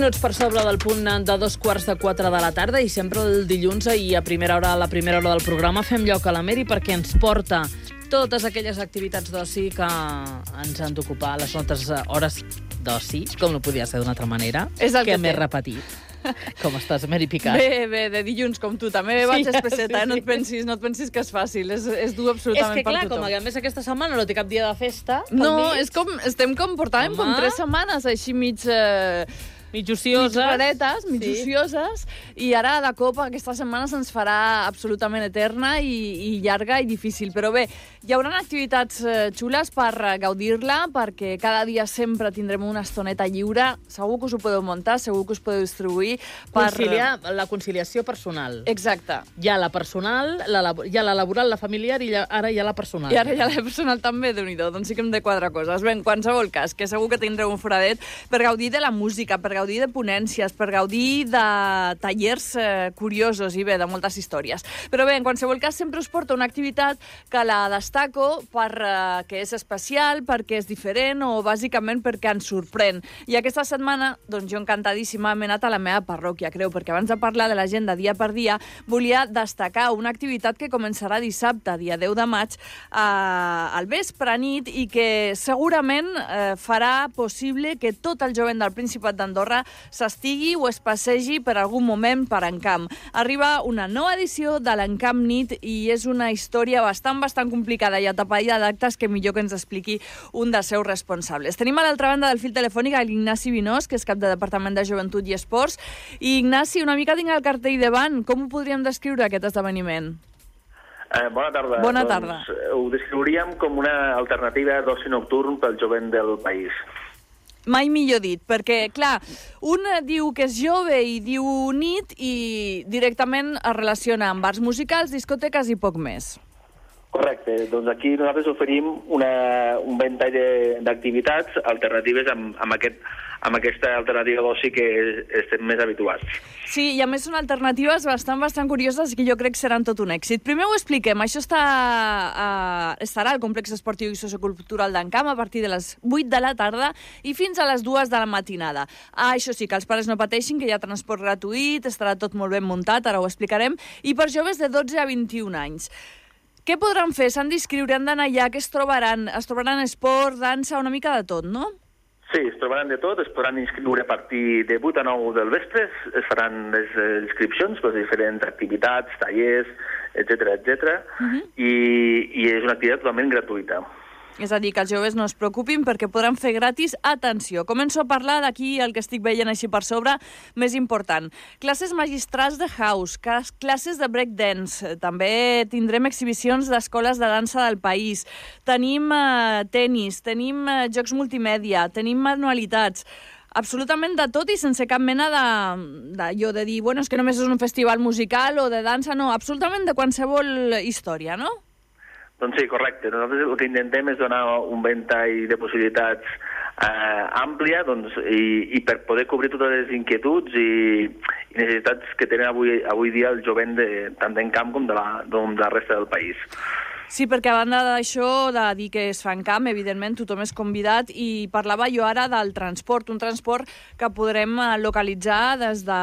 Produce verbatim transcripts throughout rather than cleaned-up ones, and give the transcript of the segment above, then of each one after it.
minuts per sobre del punt de dos quarts de quatre de la tarda i sempre el dilluns i a primera hora, a la primera hora del programa fem lloc a la Meri perquè ens porta totes aquelles activitats d'oci que ens han d'ocupar les nostres hores d'oci, com no podia ser d'una altra manera, És el que que m'he té. repetit. Com estàs, Meri Picat? Bé, bé, de dilluns, com tu. També Sí, vaig espesseta, sí, eh? No sí. et pensis, no et pensis que és fàcil. És, és dur És absolutament que, clar, per tothom. com a més aquesta setmana no té cap dia de festa, pel No, mig, és com, estem com, portàvem com Home. tres setmanes així mig... Eh, mig ocioses. mig raretes, mig Sí. ocioses, i ara de cop aquesta setmana se'ns farà absolutament eterna i, i llarga i difícil. Però bé, hi haurà activitats eh, xules per eh, gaudir-la, perquè cada dia sempre tindrem una estoneta lliure. Segur que us ho podeu muntar, segur que us podeu distribuir. Per... Conciliar la conciliació personal. Exacte. Hi ha la personal, la, labo- hi ha la laboral, la familiar i ja, ara hi ha la personal. I ara ja la personal també, déu-n'hi-do, doncs sí que hem de quatre coses. Bé, en qualsevol cas, que segur que tindreu un foradet per gaudir de la música, per gaudir de ponències, per gaudir de tallers eh, curiosos i bé, de moltes històries. Però bé, en qualsevol cas, sempre us porto una activitat que la destaco perquè és especial, perquè és diferent o bàsicament perquè ens sorprèn. I aquesta setmana, doncs jo encantadíssima, m'he anat a la meva parròquia, creu, perquè abans de parlar de l'agenda dia per dia, volia destacar una activitat que començarà dissabte, dia deu de maig, eh, al vespre nit, i que segurament eh, farà possible que tot el jovent del Principat d'Andorra s'estigui o es passegi per algun moment per Encamp. Arriba una nova edició de l'Encamp Nit i és una història bastant, bastant complicada i atapeïda d'actes que millor que ens expliqui un dels seus responsables. Tenim a l'altra banda del fil telefònic l'Ignasi Vinós, que és cap de Departament de Joventut i Esports. I Ignasi, una mica tinc el cartell davant. Com ho podríem descriure, aquest esdeveniment? Eh, bona tarda. Bona doncs, tarda. eh, Ho descriuríem com una alternativa d'oci nocturn pel jovent del país. Mai millor dit, perquè, clar, un diu que és jove i diu nit i directament es relaciona amb bars musicals, discoteques i poc més. Correcte. Doncs aquí nosaltres oferim una, un ventall de- d'activitats alternatives amb, amb, aquest, amb aquesta alternativa d'oci que estem més habituats. Sí, i a més són alternatives bastant, bastant curioses que jo crec que seran tot un èxit. Primer ho expliquem. Això està, uh, estarà al complex esportiu i sociocultural d'Encamp a partir de les vuit de la tarda i fins a les dues de la matinada. Ah, això sí, que els pares no pateixin, que hi ha transport gratuït, estarà tot molt ben muntat, ara ho explicarem, i per joves de dotze a vint-i-un anys. Què podran fer? S'han d'inscriure, han d'anar allà, què es trobaran? Es trobaran esport, dansa, una mica de tot, no? Sí, es trobaran de tot, es podran inscriure a partir de vuit a nou del vespre, es faran les eh, inscripcions per diferents activitats, tallers, etcètera, etcètera, Uh-huh. i, i és una activitat totalment gratuïta. És a dir, que els joves no es preocupin perquè podran fer gratis. Atenció, començo a parlar d'aquí el que estic veient així per sobre, més important. Classes magistrals de house, cas- classes de breakdance, també tindrem exhibicions d'escoles de dansa del país, tenim eh, tenis, tenim eh, jocs multimèdia, tenim manualitats, absolutament de tot i sense cap mena de, de, jo de dir, bueno, és que només és un festival musical o de dansa, no, absolutament de qualsevol història, no? Doncs sí, correcte. Nosaltres el que intentem és donar un ventall de possibilitats eh, àmplia doncs, i, i per poder cobrir totes les inquietuds i, i necessitats que tenen avui, avui dia el jovent de, tant d'Encamp com de la, com de la resta del país. Sí, perquè a banda d'això, de dir que es fa en camp, evidentment tothom és convidat, i parlava jo ara del transport, un transport que podrem eh, localitzar des de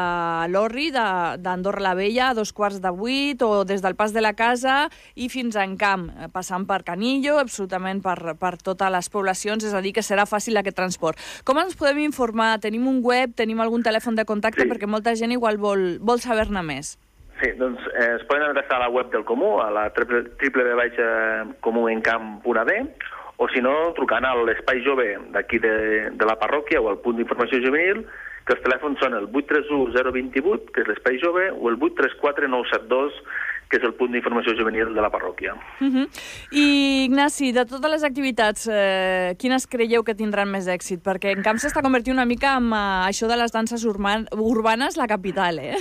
l'Orri, de- d'Andorra la Vella, a dos quarts de vuit, o des del Pas de la Casa i fins a Encamp, eh, passant per Canillo, absolutament per, per totes les poblacions, és a dir, que serà fàcil aquest transport. Com ens podem informar? Tenim un web, tenim algun telèfon de contacte? Sí. Perquè molta gent igual vol, vol saber-ne més. Sí, doncs eh, es poden adreçar a la web del Comú, a la w w w punt comú encamp punt a d, o si no, trucant a l'espai jove d'aquí de, de la parròquia o al punt d'informació juvenil, que els telèfons són el vuit tres u zero dos vuit, que és l'espai jove, o el vuit tres quatre nou set dos, que és el punt d'informació juvenil de la parròquia. Uh -huh. I, Ignasi, de totes les activitats, eh, quines creieu que tindran més èxit? Perquè Encamp s'està convertint una mica en uh, això de les danses urban urbanes, la capital, eh?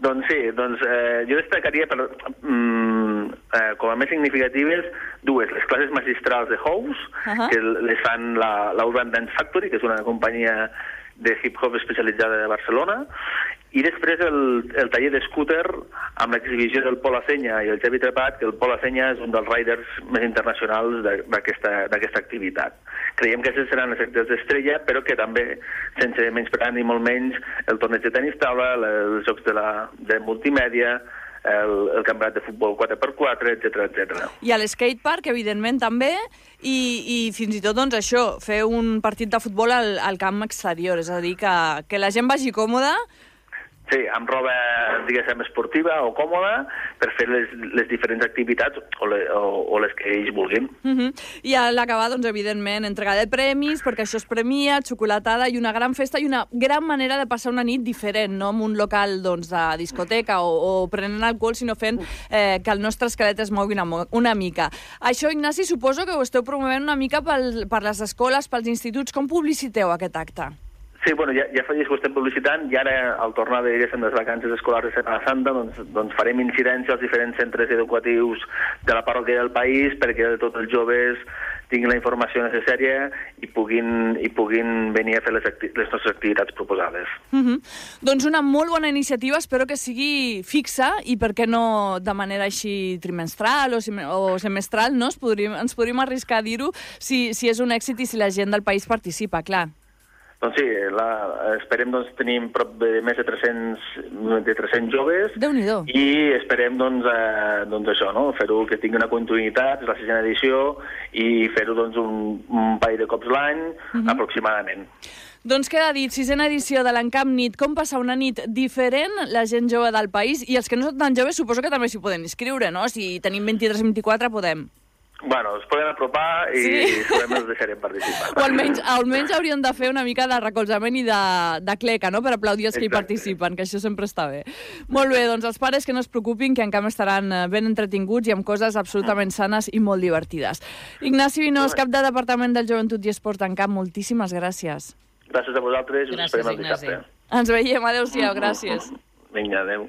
Doncs sí, doncs eh, jo destacaria per, mm, eh, com a més significatives dues, les classes magistrals de House, Uh-huh. que les fan la, la Urban Dance Factory, que és una companyia de hip-hop especialitzada de Barcelona, I després el, el taller d'escúter amb l'exhibició del Pol Acenya i el Xavi Trepat, que el Pol Acenya és un dels riders més internacionals d'aquesta activitat. Creiem que aquestes seran les activitats d'estrella, però que també, sense menysprear ni molt menys, el torneig de tenis taula, els jocs de, la, de multimèdia, el, el campionat de futbol quatre per quatre, etcètera, etcètera. I a l'skatepark, evidentment, també, i, i fins i tot, doncs, això, fer un partit de futbol al, al camp exterior, és a dir, que, que la gent vagi còmoda. Sí, amb roba, diguéssim, esportiva o còmoda per fer les, les diferents activitats o, le, o, o les que ells vulguin. Uh-huh. I a l'acabar, doncs, evidentment, entrega de premis, perquè això es premia, xocolatada i una gran festa i una gran manera de passar una nit diferent, no en un local doncs, de discoteca o, o prenent alcohol, sinó fent eh, que el nostre esquelet es mogui una, una mica. Això, Ignasi, suposo que ho esteu promovent una mica pel, per les escoles, pels instituts. Com publiciteu aquest acte? Sí, bueno, ja, ja fa dies que ho estem publicitant i ara, al tornar de les vacances escolars de Setmana Santa, doncs, doncs farem incidència als diferents centres educatius de la parròquia del país perquè tots els joves tinguin la informació necessària i puguin, i puguin venir a fer les, les nostres activitats proposades. Uh-huh. Doncs una molt bona iniciativa, espero que sigui fixa i per què no de manera així trimestral o, o semestral, no? Es podríem, ens podríem arriscar a dir-ho si, si és un èxit i si la gent del país participa, clar. Doncs sí, la, esperem doncs, tenir prop de més de tres-cents, de tres-cents joves. Déu-n'hi-do. I esperem doncs, eh, doncs això, no? Fer-ho que tingui una continuïtat, és la sisena edició, i fer-ho doncs, un, un parell de cops l'any, uh-huh. aproximadament. Doncs queda dit, sisena edició de l'Encamp Nit, com passar una nit diferent la gent jove del país, i els que no són tan joves suposo que també s'hi poden inscriure, no? Si tenim vint-i-tres vint-i-quatre podem. Bueno, es poden apropar i sí. Segurament els deixarem participar. O almenys, almenys hauríem de fer una mica de recolzament i de, de cleca, no?, per aplaudir els que Exacte. Hi participen, que això sempre està bé. Molt bé, doncs els pares que no es preocupin, que encara estaran ben entretinguts i amb coses absolutament sanes i molt divertides. Ignasi Vinós, cap de Departament del Joventut i Esport en Camp, moltíssimes gràcies. Gràcies a vosaltres i us esperem el dissabte. Ens veiem, adéu-siau, gràcies. Vinga, adéu.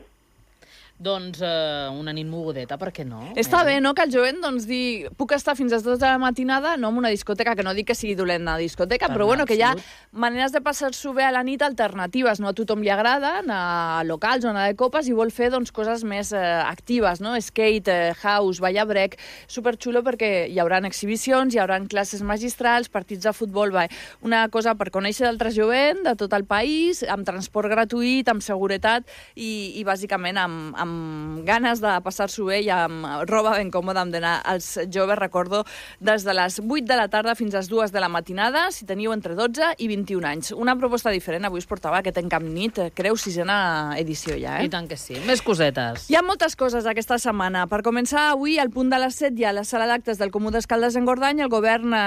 Doncs uh, una nit mogudeta, per què no? Està bé, no?, que el jovent doncs, digui puc estar fins a les dues de la matinada, no en una discoteca, que no dic que sigui dolent anar a discoteca, per però bueno, que hi ha maneres de passar-s'ho bé a la nit alternatives, no a tothom li agrada anar a locals o anar de copes i vol fer doncs, coses més eh, actives, no? Skate, eh, house, ballar brec, superxulo perquè hi haurà exhibicions, hi haurà classes magistrals, partits de futbol, va, una cosa per conèixer d'altre jovent de tot el país, amb transport gratuït, amb seguretat i, i bàsicament amb, amb amb ganes de passar-s'ho bé i amb roba ben còmoda amb d'anar als joves, recordo, des de les vuit de la tarda fins a les dues de la matinada, si teniu entre dotze i vint-i-un anys. Una proposta diferent, avui us portava aquest Encamp Nit, creu sisena edició ja, eh? I tant que sí. Més cosetes. Hi ha moltes coses aquesta setmana. Per començar, avui, al punt de les set, hi ha la sala d'actes del Comú d'Escaldes en Gordany, el govern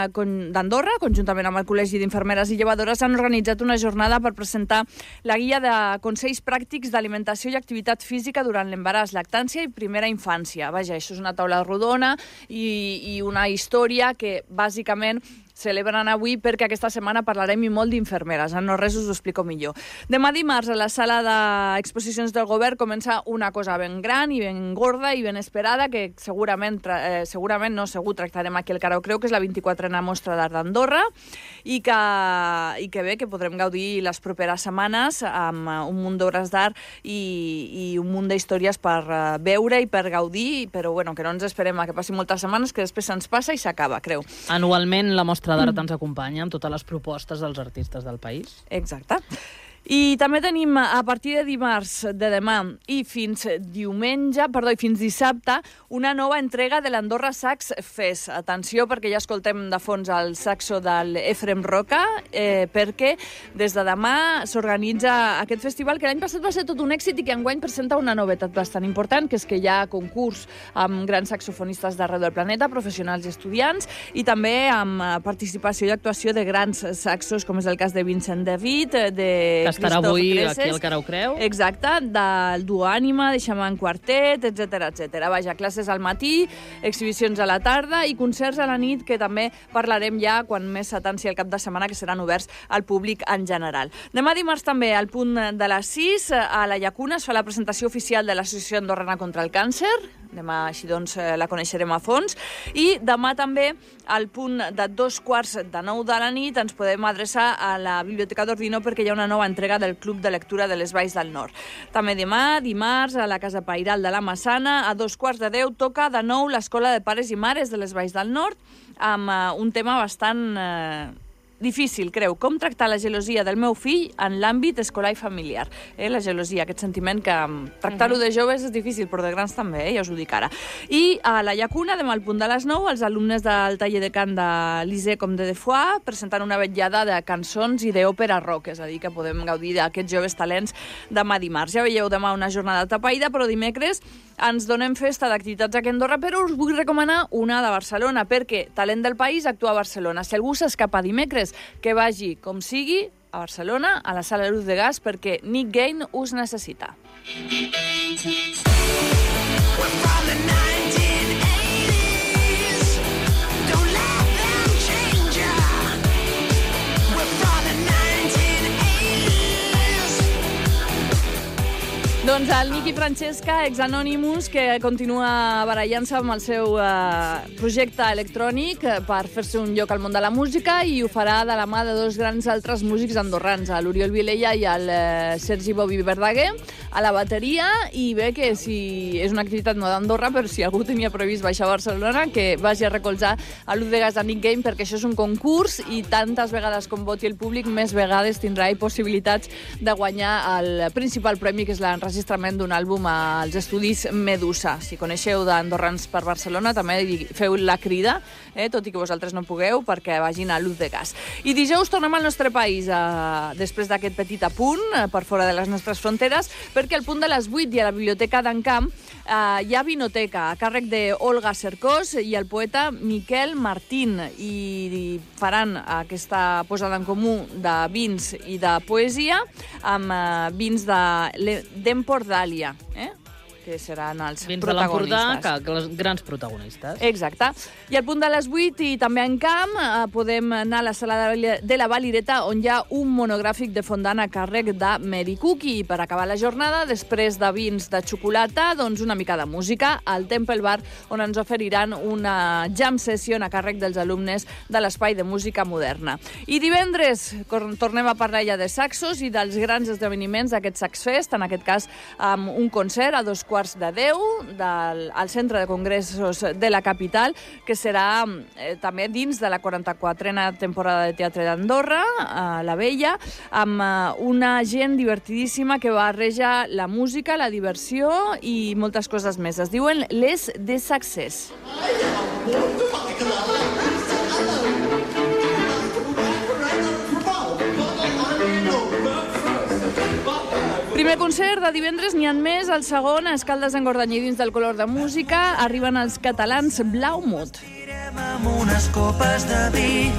d'Andorra, conjuntament amb el Col·legi d'Infermeres i Llevadores, han organitzat una jornada per presentar la guia de consells pràctics d'alimentació i activitat física durant l'embaràs, lactància i primera infància. Vaja, això és una taula rodona i, i una història que, bàsicament, celebren avui perquè aquesta setmana parlarem i molt d'infermeres. En no res us ho explico millor. Demà dimarts, a la sala d'exposicions del govern, comença una cosa ben gran i ben gorda i ben esperada, que segurament, eh, segurament no, segur tractarem aquí el Carau Creu, que és la vint-i-quatrena Mostra d'Art d'Andorra, i que, i que bé, que podrem gaudir les properes setmanes amb un munt d'obres d'art i, i un munt d'històries per veure i per gaudir, però bueno, que no ens esperem a que passi moltes setmanes, que després se'ns passa i s'acaba, creu. Anualment la Mostra d'Art ens acompanya amb totes les propostes dels artistes del país. Exacte. I també tenim, a partir de dimarts de demà i fins diumenge, perdó, i fins dissabte, una nova entrega de l'Andorra Sax Fest. Atenció, perquè ja escoltem de fons el saxo de l'Efrem Roca, eh, perquè des de demà s'organitza aquest festival, que l'any passat va ser tot un èxit i que enguany presenta una novetat bastant important, que és que hi ha concurs amb grans saxofonistes d'arreu del planeta, professionals i estudiants, i també amb participació i actuació de grans saxos, com és el cas de Vincent David, de que estarà avui Creses, aquí al Carau Creu. Exacte, del duo Ànima, de Xaman Quartet, etcètera, etcètera. Vaja, classes al matí, exhibicions a la tarda i concerts a la nit, que també parlarem ja quan més s'atanci el cap de setmana, que seran oberts al públic en general. Demà dimarts també, al punt de les sis, a la Llacuna es fa la presentació oficial de l'Associació Andorrana contra el Càncer. Demà, així doncs, la coneixerem a fons. I demà també, al punt de dos quarts de nou de la nit, ens podem adreçar a la Biblioteca d'Ordino perquè hi ha una nova entrega entrega del Club de Lectura de les Valls del Nord. També demà, dimarts, a la Casa Pairal de la Massana, a dos quarts de deu, toca de nou l'Escola de Pares i Mares de les Valls del Nord, amb uh, un tema bastant uh, difícil, creu, com tractar la gelosia del meu fill en l'àmbit escolar i familiar. Eh? La gelosia, aquest sentiment que um, tractar-ho de joves és difícil, però de grans també, eh? Ja us ho dic ara. I a la Llacuna, demà al punt de les nou, els alumnes del taller de cant de Lisée com de Defoix presenten una vetllada de cançons i d'òpera rock, és a dir, que podem gaudir d'aquests joves talents demà dimarts. Ja veieu, demà una jornada tapaïda, però dimecres ens donem festa d'activitats aquí a Andorra, però us vull recomanar una de Barcelona, perquè Talent del País actua a Barcelona. Si algú s'escapa dimecres, que vagi, com sigui, a Barcelona, a la Sala Luz de Gas, perquè Nick Gain us necessita. Doncs el Nicky Francesca, ex-Anonymous, que continua barallant-se amb el seu uh, projecte electrònic per fer-se un lloc al món de la música, i ho farà de la mà de dos grans altres músics andorrans, l'Oriol Vilella i el uh, Sergi Bobi Verdaguer, a la bateria. I bé, que si és una activitat no d'Andorra, però si algú tenia previst baixar a Barcelona, que vagi a recolzar a l'U de Gas de Nick Game, perquè això és un concurs i tantes vegades com voti el públic, més vegades tindrà possibilitats de guanyar el principal premi, que és l'enregistrament d'un àlbum als estudis Medusa. Si coneixeu d'andorrans per Barcelona, també feu la crida, eh, tot i que vosaltres no pugueu, perquè vagin a Luz de Gas. I dijous tornem al nostre país, eh, després d'aquest petit apunt, eh, per fora de les nostres fronteres, perquè al punt de les vuit i a la Biblioteca d'Encamp eh, hi ha vinoteca a càrrec d'Olga Cercós i el poeta Miquel Martín, i faran aquesta posada en comú de vins i de poesia amb eh, vins de d'Empordà, eh? que seran els Vins protagonistes. Vins de l'Empordà, que els grans protagonistes. Exacte. I al punt de les vuit i també en camp eh, podem anar a la sala de la Valireta, on hi ha un monogràfic de fondant a càrrec de Mary Cookie. I per acabar la jornada, després de vins de xocolata, doncs una mica de música al Temple Bar, on ens oferiran una jam session a càrrec dels alumnes de l'Espai de Música Moderna. I divendres tornem a parlar ja de saxos i dels grans esdeveniments d'aquest Sax Fest, en aquest cas amb un concert a dos quarts de deu del, al Centre de Congressos de la capital, que serà eh, també dins de la quaranta-quatrena temporada de Teatre d'Andorra, a la Vella, amb eh, una gent divertidíssima que barreja la música, la diversió i moltes coses més. Es diuen Les de Success. Primer concert de divendres, n'hi ha més. El segon, a Escaldes d'Engordany, dins del Color de Música, arriben els catalans Blaumut. Amb unes copes de vi,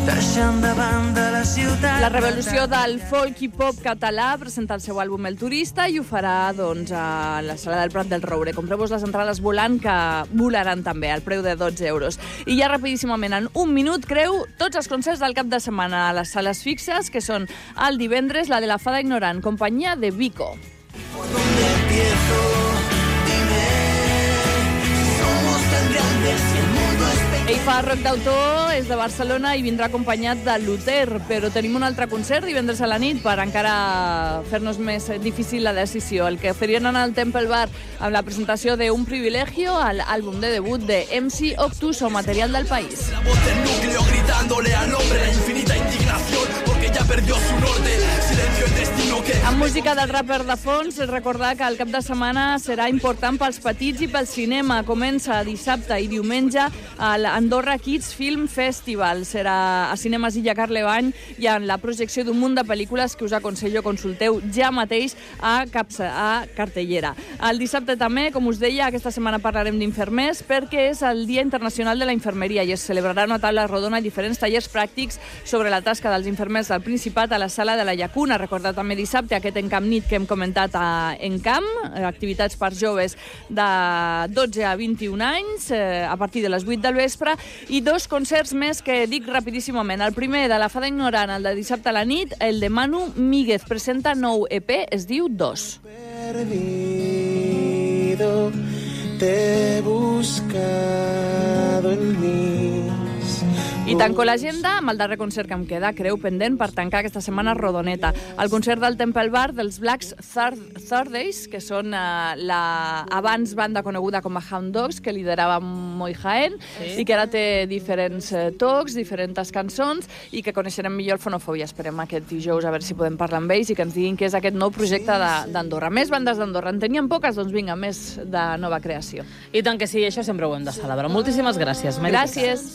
deixant de banda la ciutat. La revolució del folk i pop català presenta el seu àlbum El Turista i ho farà doncs, a la Sala del Prat del Roure. Compreu-vos les entrades volant, que volaran també al preu de dotze euros. I ja rapidíssimament, en un minut, creu tots els concerts del cap de setmana a les sales fixes, que són el divendres la de la Fada Ignorant, companyia de Vico. ¿Por dónde empiezo? Dime, somos tan grandes y el mundo es pequeño. Ell fa rock d'autor, és de Barcelona i vindrà acompanyat de Luther, però tenim un altre concert divendres a la nit per encara fer-nos més difícil la decisió. El que oferien en el Temple Bar amb la presentació de Un Privilegio, l'àlbum de debut de M C Octuso, Material del País. La voz del núcleo gritándole al hombre la infinita indignación porque ya perdió su norte. Silencio el destino que... Amb música del rapper de fons, recordar que el cap de setmana serà important pels petits i pel cinema. Comença dissabte i diumenge a l'Andorra Kids Film Festival. Serà a Cinemes Illa Carlebany i en la projecció d'un munt de pel·lícules que us aconsello consulteu ja mateix a, Capsa, a Cartellera. El dissabte també, com us deia, aquesta setmana parlarem d'infermers perquè és el Dia Internacional de la Infermeria i es celebrarà una taula rodona i diferents tallers pràctics sobre la tasca dels infermers del Principat a la Sala de la Llacuna. Recordar també dissabte aquest Encamp Nit que hem comentat a Encamp, activitats per joves de dotze a vint-i-un anys, eh, a partir de les vuit del vespre, i dos concerts més que dic rapidíssimament. El primer, de la Fada Ignorant, el de dissabte a la nit, el de Manu Míguez, presenta nou E P, es diu Dos. Perdido, te he buscado en mis I tanco l'agenda amb el darrer concert que em queda, creu pendent, per tancar aquesta setmana rodoneta. El concert del Temple Bar dels Black Thursdays, que són uh, la abans banda coneguda com a Hound Dogs, que liderava Moi Jaén, sí. i que ara té diferents uh, tocs, diferents cançons, i que coneixerem millor el Fonofòbia. Esperem aquest dijous a veure si podem parlar amb ells i que ens diguin què és aquest nou projecte d'Andorra. Més bandes d'Andorra. En teníem poques? Doncs vinga, més de nova creació. I tant que sí, això sempre ho hem de celebrar. Moltíssimes gràcies, Mèrica. Gràcies.